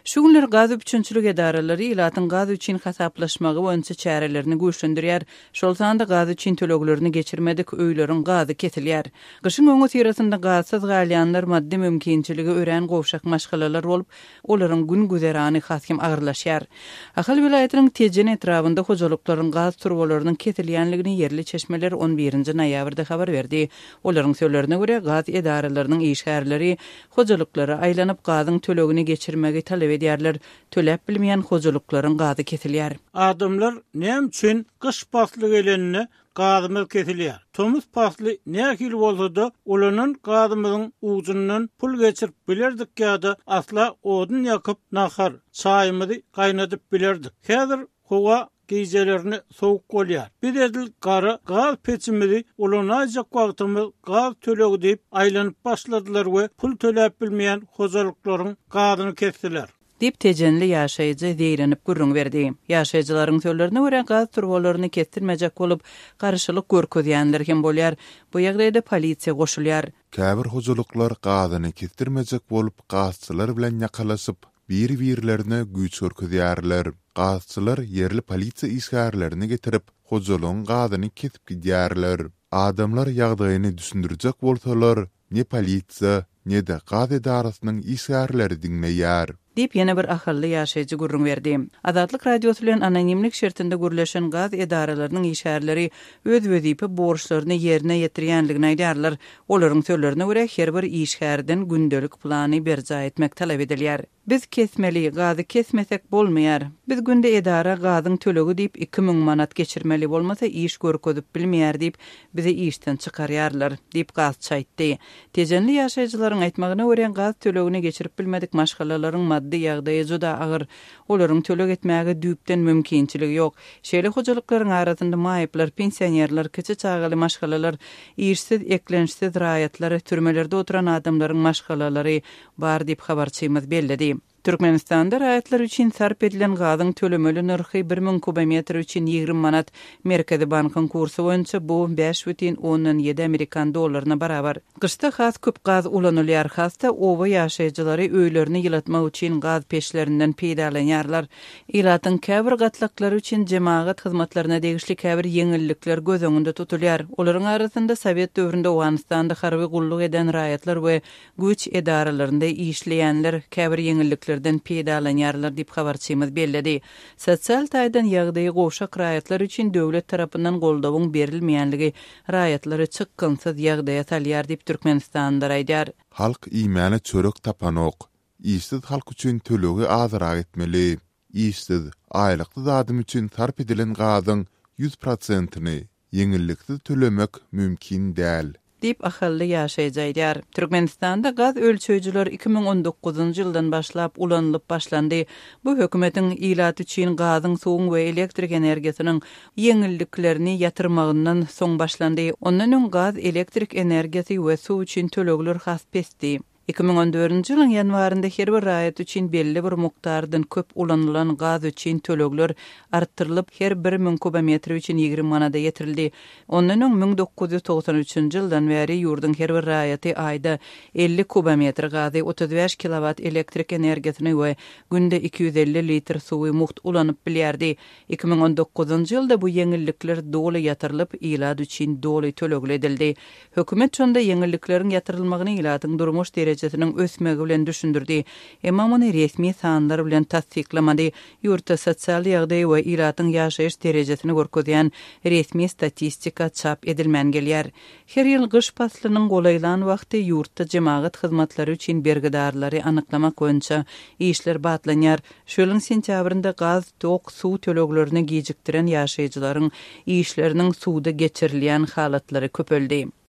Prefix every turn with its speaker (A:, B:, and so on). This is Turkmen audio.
A: Şu günler gaz üpjünçilik edaralary ilatyň gaz üçin hasaplaşmagy boýunça çärelerini güýçlendirýär. Şol sanda gaz üçin töleglerini geçirmedik öýleriň gazy kesilýär. Gyşyň öňüsyrasynda gazsyz galýanlar maddy mümkinçiligi örän gowşak maşgalalar bolup, olaryň gün-güzerany has hem agyrlaşýar. Ahal welaýatynyň Tejen etrabynda hojalyklaryň gaz turbalarynyň kesilýänligini ýerli çeşmeler on birinji noýabrda habar berdi. Olaryň sözlerine görä, gaz edaralarynyň işgärleri hojalyklara aýlanyp, gazyň tölegini geçirmegi talap edýärler. Töläp bilmeýän hojalyklaryň gazy kesilýär.
B: Adamlar näme üçin gyş pasly gelende gazymyz kesilýär? Tomus pasly nähili bolsa-da, ulanan gazymyzyň ujundan pul geçirip bilerdik ýa-da asla odun ýakyp nahar, çaýymyzy gaýnadyp bilerdik. Häzir howa Gijelerine sowuk bolýar. Biz edil gara gaz peçimizi ulanaýjak wagtymyz gaz tölegi diýip aýlanyp başladylar we pul töläp bilmeýän hojalyklaryň gazyny kesdiler.
A: Diýip, tejenli ýaşaýjy zeýrenip gürrüň berdi. Ýaşaýjylaryň sözlerine görä, gaz turbalaryny kesdirmejek bolup, garşylyk görkezýänler hem bolýar. Bu ýagdaýda polisiýa goşulýar.
C: Käbir hojalyklar gazyny kesdirmejek bolup, gazçylar bilen ýakalaşyp, bir-birlerine güýç görkezýärler. Gazçylar ýerli polisiýa işgärlerini getirip, hojalygyň gazyny kesip gidýärler. Adamlar ýagdaýyny düşündirjek bolsalar, ne polisiýa, ne-de gaz edarasynyň işgärleri diňleýär.
A: Diýip, ýene bir ahally ýaşaýjy gürrüň berdi. Azatlyk Radiosy bilen anonimlik şertinde gürleşen gaz edaralarynyň işgärleri öz wezipe borçlaryny ýerine ýetirýänligini aýdýarlar. Olaryň sözlerine görä, her bir işgärden gündelik plany berjaý etmek talap edilýär. Biz kesmeli, gazy kesmesek bolmaýar. Biz günde edara gazyň tölegi diýip 2000 manat geçirmeli, bolmasa iş görkezip bilmeýär diýip, bizi işden çykarýarlar, diýip, gazçy aýtdy. Tejenli ýaşaýjylaryň aýtmagyna görä, gaz tölegini geçirip bilmedik maşgalalaryň maddy ýagdaýy juda agyr. Olaryň töleg etmäge düýpden mümkinçiligi ýok. Şeýle hojalyklaryň arasynda maýyplar, pensionerler, kiçi çagaly maşgalalar, işsiz, eklençsiz raýatlar, türmelerde oturan adamlaryň maşgalalary bar diýip, habarçymyz belledi. Türkmenistanda raýatlar üçin sarp edilen gazyň tölemeli nyrhy 1000 kubometr üçin 20 manat, Merkezi bankyň kursy boýunça bu 5,7 amerikan dollaryna barabar. Gyşda has köp gaz ulanylýar, has-da oba ýaşaýjylary öýlerini ýylatmak üçin gaz peçlerinden peýdalanýarlar. Ilatyň käbir gatlaklary üçin jemagat hyzmatlaryna degişli käbir ýeňillikler göz öňünde tutulýar. Olaryň arasynda sowet döwründe Owganystanda harby gulluk eden raýatlar we güýç edaralarynda işleýänler käbir ýeňilliklerden peýdalanýarlar diýip, habarçymyz belledi. Sosial taýdan ýagdaýy gowşak raýatlar üçin döwlet tarapyndan goldawyň berilmeýänligi raýatlary çykgynsyz ýagdaýa salýar diýip, türkmenistanlylar aýdýar.
C: Halk iýmäne çörek tapanok. Işsiz halk üçin tölegi azyrak etmeli. Işsiz, aýlyksyz adam üçin sarp edilen gazyň ýüz prosentini ýeňilliksiz tölemek mümkin däl.
A: Diýip, ahally ýaşaýjy aýdýar. Türkmenistanda gaz ölçeýjiler 2019-njy ýyldan başlap ulanylyp başlandy. Bu hökümetiň ilat üçin gazyň, suwuň we elektrik energiýasynyň ýeňilliklerini ýatyrmagyndan soň başlandy. Ondan öň gaz, elektrik energiýasy we suw üçin tölegler has pesdi. 2014-nji ýylyň ýanwarynda her bir raýat üçin belli bir mukdardan köp ulanylan gaz üçin tölegler artdyrylyp, her bir müň kubometr üçin 20 manada ýetirildi. Ondan öň 1993-nji ýyldan bäri ýurduň her bir raýaty aýda 50 kubometr gazy, 35 kilowat elektrik energiýasyny we günde 250 litr suwy mugt ulanyp bilýärdi. 2019-njy ýylda bu ýeňillikler doly ýatyrylyp, ilat üçin doly tölegli edildi. Hökümet şonda ýeňillikleriň ýatyrylmagyny ilatyň durmuş derejesiniň ösmegi bilen düşündirdi. Emma muny resmi sanlar bilen tassyklamady. Ýurtda sosial ýagdaýy we ilatyň ýaşaýyş derejesini görkezýän resmi statistika çap edilmän gelýär. Her ýyl gyş paslynyň golaýlan wagty ýurtda jemagat hyzmatlary üçin bergidarlary anyklamak boýunça işler batlanýar. Şu ýylyň sentýabrynda gaz, tok, suw töleglerini gijikdiren ýaşaýjylaryň işleriniň suda geçirilýän halatlary köpeldi.